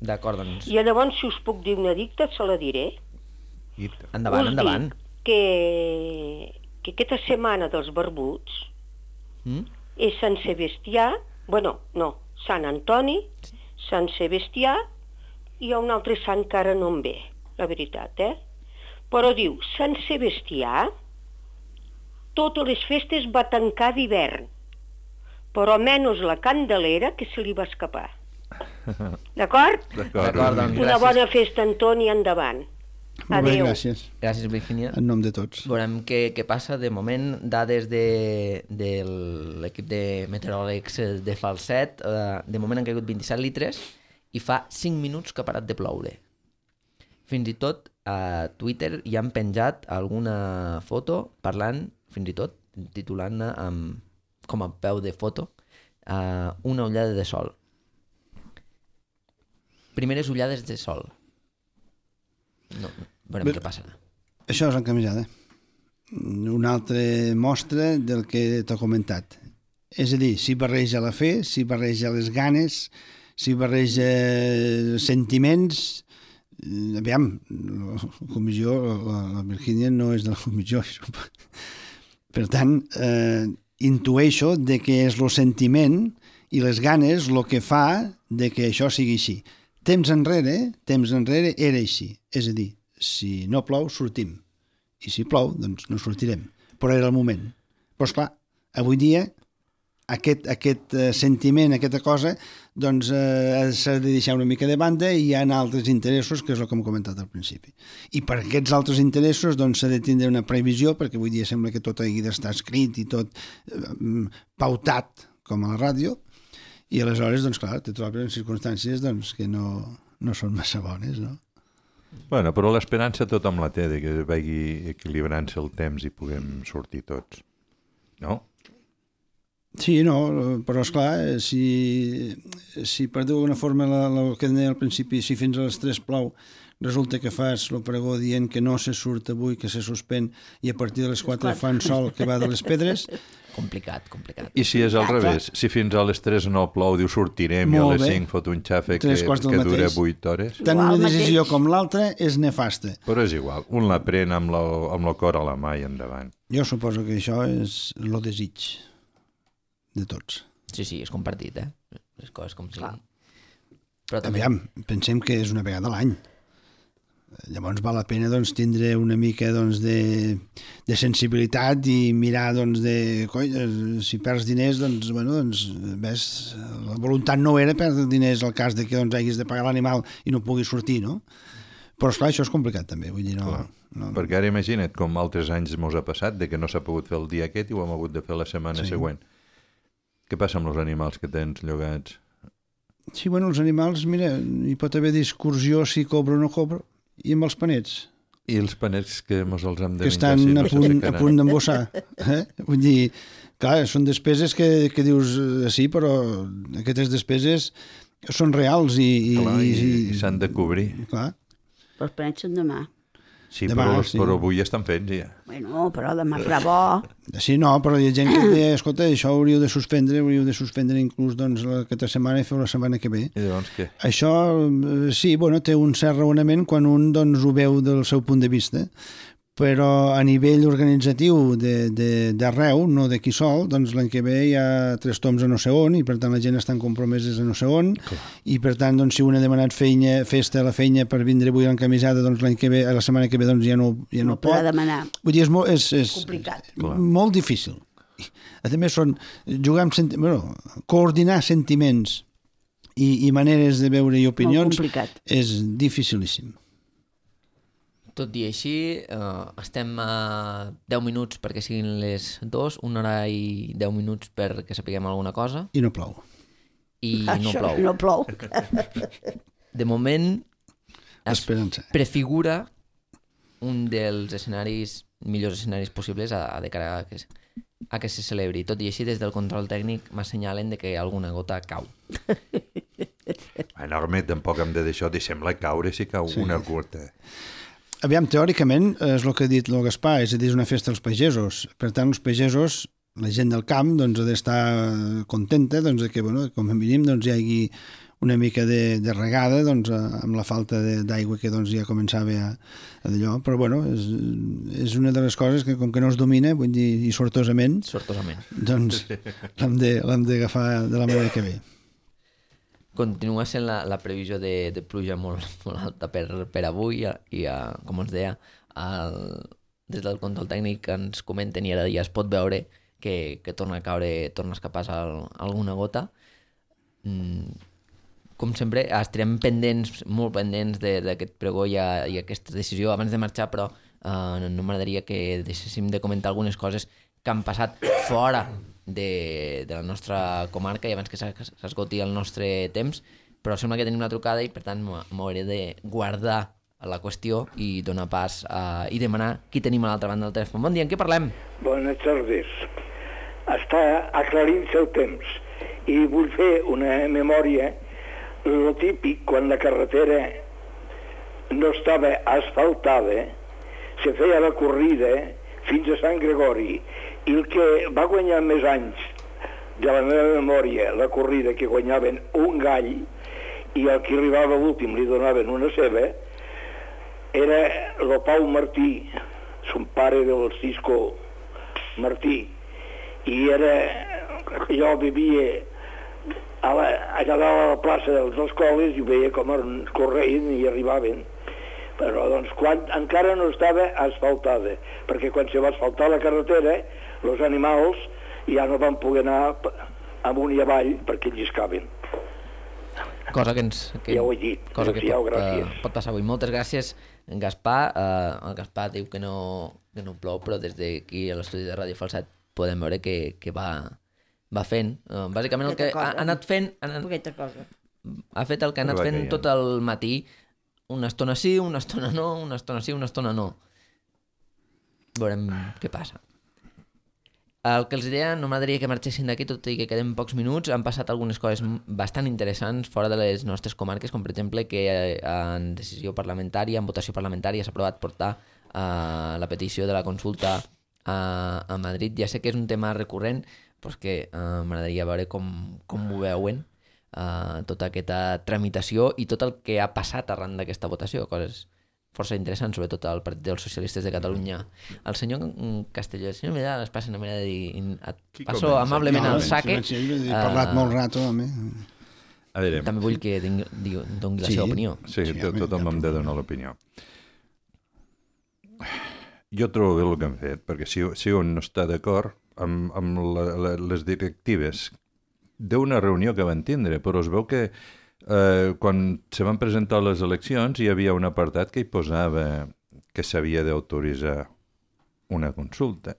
D'acord, doncs. I llavors, si us puc dir una dicta, se la diré. Endavant, endavant. Que aquesta setmana dels barbuts és Sant Sebastià, Sant Antoni, Sant Sebastià, i hi ha un altre sant que ara no em ve, la veritat, Però diu, Sant Sebastià, totes les festes va tancar d'hivern, però menys la Candelera, que se li va escapar. D'acord? D'acord, doncs. Una bona festa, Antoni, endavant. Molt bé, gràcies. Gràcies, Virgínia. En nom de tots. Veurem què passa. De moment, dades de l'equip de meteoròlegs de Falset. De moment han caigut 27 litres i fa 5 minuts que ha parat de ploure. Fins i tot a Twitter hi han penjat alguna foto parlant, fins i tot titulant-ne com a peu de foto, una ullada de sol. Primeres ullades de sol. No, veurem què passarà. Això és encamisada. Una altra mostra del que t'he comentat. És a dir, s'hi barreja la fe, s'hi barreja les ganes, s'hi barreja sentiments, Aviam, la comissió, la Virgínia no és de la comissió. Per tant, intueixo de que és el sentiment i les ganes el que fa de que això sigui així. Temps enrere era així. És a dir, si no plou, sortim. I si plou, doncs no sortirem. Però era el moment. Però, esclar, avui dia aquest sentiment, aquesta cosa, doncs s'ha de deixar una mica de banda i hi ha altres interessos, que és el que hem comentat al principi. I per aquests altres interessos doncs s'ha de tindre una previsió, perquè avui dia sembla que tot hagi d'estar escrit i tot pautat, com a la ràdio, i aleshores, doncs clar, te trobes en circumstàncies doncs, que no són massa bones, no? Bueno, però l'esperança tothom la té, de que vagi equilibrant-se el temps i puguem sortir tots, no? Sí, no, però esclar, si per d'alguna forma el que deia al principi, si fins a les 3 plou, resulta que fas el pregó dient que no se surt avui, que se suspèn, i a partir de les 4 fan sol que va de les pedres... Complicat. I si és al revés? Si fins a les 3 no plou, diu sortirem, i a les 5 fot un xafe que dura 8 hores? Tant una decisió com l'altra és nefasta. Però és igual, un la pren amb el cor a la mà i endavant. Jo suposo que això és el desig de tots. Sí, és compartit, les coses com siguin. Aviam, pensem que és una vegada a l'any. Llavors val la pena doncs, tindre una mica doncs, de sensibilitat i mirar doncs, si perds diners, doncs, bueno, doncs, ves, la voluntat no era perdre diners al cas de que doncs, hagis de pagar l'animal i no puguis sortir, no? Però esclar, això és complicat també, vull dir, no. Perquè ara imagina't com altres anys mos ha passat de que no s'ha pogut fer el dia aquest i ho hem hagut de fer la setmana següent. Què passa amb els animals que tens llogats? Sí, bueno, els animals, mira, hi pot haver discursió si cobro o no cobro. I amb els panets? I els panets que mos els hem de que estan a punt d'embossar. Vull dir, clar, són despeses que dius sí, però aquestes despeses són reals i s'han de cobrir. Clar. Però els panets són demà. Sí, però avui estan fets ja. Bueno, però demà farà bo. Sí, no, però hi ha gent que deia, escolta, això hauríeu de suspendre inclús doncs, aquesta setmana i fer la setmana que ve. I llavors què? Això, sí, bueno, té un cert raonament quan un doncs, ho veu del seu punt de vista, però a nivell organitzatiu d'arreu, no d'aquí sol, doncs l'any que ve hi ha 3 toms a no sé on i per tant la gent estan compromeses a no sé on i per tant doncs, si un ha demanat festa a la feina per vindre avui l'encamisada, doncs l'any que ve, la setmana que ve doncs, ja no pot. Demanar. Vull dir, és complicat. Molt difícil. A més, coordinar sentiments i maneres de veure i opinions és dificilíssim. Tot i així, estem a 10 minuts perquè siguin les 2, 1 hora i 10 minuts perquè sapiguem alguna cosa. I no plou. No plou. De moment, es Esperança. prefigura un dels millors escenaris possibles de cara a que se celebri. Tot i així, des del control tècnic m'assenyalen que alguna gota cau. Enorme, tampoc hem de deixar, deixem-la caure si cau una gota. Aviam, teòricament, és el que ha dit el Gaspar, és a dir, és una festa als pagesos. Per tant, els pagesos, la gent del camp, doncs, ha d'estar contenta doncs, que, bueno, com a mínim, doncs, hi hagi una mica de regada doncs, amb la falta d'aigua que doncs, ja començava a d'allò. Però, bueno, és una de les coses que, com que no es domina, vull dir, i sortosament, doncs l'hem d'agafar de la manera que ve. Continua sent la previsió de pluja molt alta per avui i, com ens deia, des del control tècnic ens comenten i ara ja es pot veure que torna a escapar alguna gota. Com sempre, estarem molt pendents d'aquest pregó i aquesta decisió abans de marxar, però no m'agradaria que deixéssim de comentar algunes coses que han passat fora de la nostra comarca i abans que s'esgoti el nostre temps, però sembla que tenim una trucada i per tant m'hauré de guardar la qüestió i donar pas i demanar qui tenim a l'altra banda del telèfon. Bon dia, en què parlem? Bones tardes. Està aclarint-se el temps i vull fer una memòria. Lo típic, quan la carretera no estava asfaltada, se feia la corrida fins a Sant Gregori. I el que va guanyar més anys de la meva memòria, la corrida, que guanyaven un gall, i el que arribava l'últim li donaven una ceba, era el Pau Martí, son pare del Cisco Martí, i jo vivia allà dalt a la plaça de les escoles i veia com correien i arribaven. Però doncs encara no estava asfaltada, perquè quan se va asfaltar la carretera, els animals ja no van poder anar amunt i avall perquè lliscaven. Cosa que ja ho he dit. Cosa que pot passar avui. Moltes gràcies, Gaspar. El Gaspar diu que no plou, però des d'aquí a l'estudi de Ràdio Falset podem veure que va fent. Bàsicament el que ha anat fent... Ha fet el que ha anat fent tot el matí. Una estona sí, una estona no, una estona sí, una estona no. Veurem què passa. El que els deia, no m'agradaria que marxessin d'aquí, tot i que queden pocs minuts. Han passat algunes coses bastant interessants fora de les nostres comarques, com per exemple que en decisió parlamentària, en votació parlamentària, s'ha aprovat portar la petició de la consulta a Madrid. Ja sé que és un tema recurrent, però és que m'agradaria veure com ho veuen, tota aquesta tramitació i tot el que ha passat arran d'aquesta votació, coses força interessants, sobretot al Partit dels Socialistes de Catalunya. El senyor Castelló, el senyor Vidal es passa una manera de dir passo amablement al saque. He parlat molt rato, home. També vull que doni la seva opinió. Sí, tothom em de donar l'opinió. Jo trobo bé el que han fet, perquè si un no està d'acord amb les directives d'una reunió que van tindre, però es veu que quan se van presentar les eleccions hi havia un apartat que hi posava que s'havia d'autoritzar una consulta.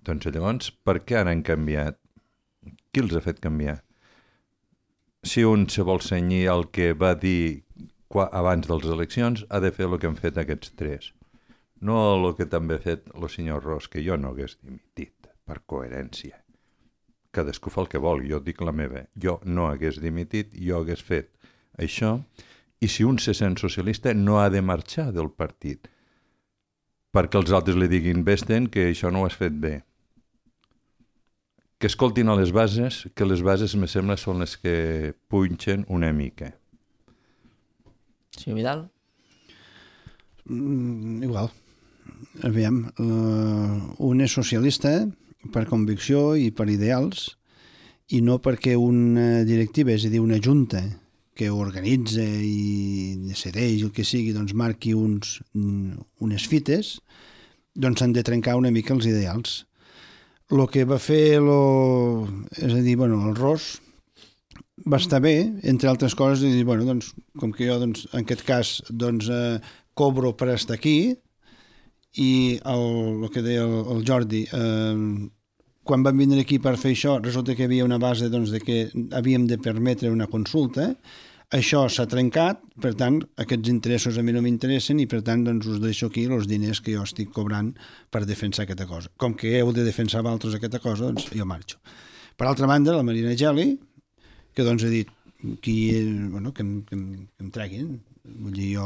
Doncs llavors, per què ara han canviat? Qui els ha fet canviar? Si un se vol cenyir el que va dir abans de les eleccions, ha de fer el que han fet aquests tres. No el que també ha fet el senyor Ros, que jo no hagués dimitit, per coherència. Cadascú fa el que vol, jo dic la meva. Jo no hagués dimitit, jo hagués fet això, i si un se sent socialista no ha de marxar del partit, perquè els altres li diguin vesten que això no ho has fet bé. Que escoltin a les bases, que les bases, me sembla, són les que punxen una mica. Senyor Vidal? Igual. Aviam, un és socialista per convicció i per ideals, i no perquè una directiva, és a dir, una junta que organitza i decideix el que sigui, doncs marqui unes fites, doncs s'han de trencar una mica els ideals. El que va fer, és a dir, el Ros va estar bé, entre altres coses, i dir, doncs, com que jo, doncs, en aquest cas, doncs, cobro per estar aquí, i el que deia el Jordi, quan van vindre aquí per fer això, resulta que hi havia una base doncs, de que havíem de permetre una consulta, això s'ha trencat, per tant, aquests interessos a mi no m'interessen i per tant doncs, us deixo aquí els diners que jo estic cobrant per defensar aquesta cosa. Com que heu de defensar vosaltres aquesta cosa, doncs jo marxo. Per altra banda, la Marina Geli, que doncs ha dit que em treguin. Vull dir, jo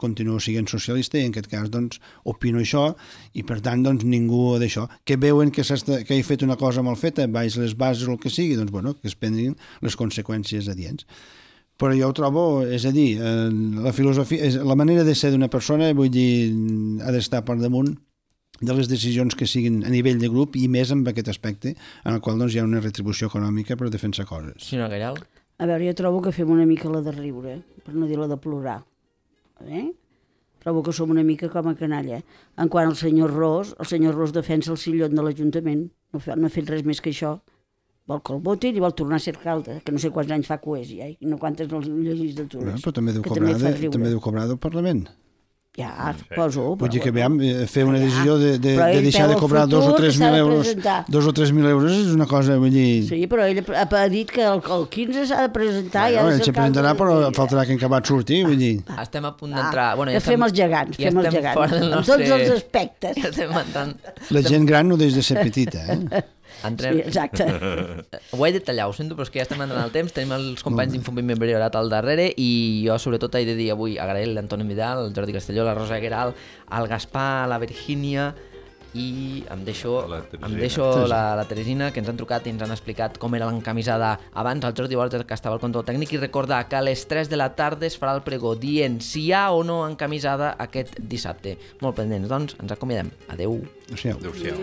continuo sent socialista i en aquest cas doncs opino això i per tant doncs ningú d'això. Que veuen que he fet una cosa mal feta, baix les bases o el que sigui, doncs que es prenguin les conseqüències adients. Però jo ho trobo, és a dir, la filosofia, la manera de ser d'una persona, vull dir, ha d'estar per damunt de les decisions que siguin a nivell de grup i més en aquest aspecte en el qual doncs, hi ha una retribució econòmica per defensar coses. Senyora Gallal? A veure, jo trobo que fem una mica la de riure, per no dir la de plorar. Trobo que som una mica com a canalla. En quant al senyor Ros defensa el sillon de l'Ajuntament. No ha fet res més que això. Vol que el votin i vol tornar a ser alcalde, que no sé quants anys fa que ho és ja, i no quantes legislatures. Però també deu cobrar del Parlament. Ja, suposo. Vull dir que fer una decisió de deixar de cobrar 2 o 3.000 euros. 2 o 3.000 euros és una cosa, vull dir... Sí, però ell ha dit que el 15 s'ha de presentar i ha de ser alcalde. Ell se presentarà, però faltarà que en acabat sortir, vull dir... Estem a punt d'entrar... Fem els gegants, en tots els aspectes. La gent gran no deix de ser petita, Entrem... Sí, exacte. Ho he de tallar, ho sento, però és que ja estem entrant al temps, tenim els companys d'Infombiment Priorat al darrere i jo sobretot he de dir avui agrair l'Antoni Vidal, el Jordi Castelló, la Rosa Gueral, el Gaspar, la Virgínia i em deixo La la Teresina, que ens han trucat i ens han explicat com era l'encamisada abans, el Jordi Borges, que estava al control tècnic, i recordar que a les 3 de la tarda es farà el pregó dient si hi ha o no encamisada aquest dissabte. Molt pendents, doncs, ens acomiadem. Adeu. Adéu-siau.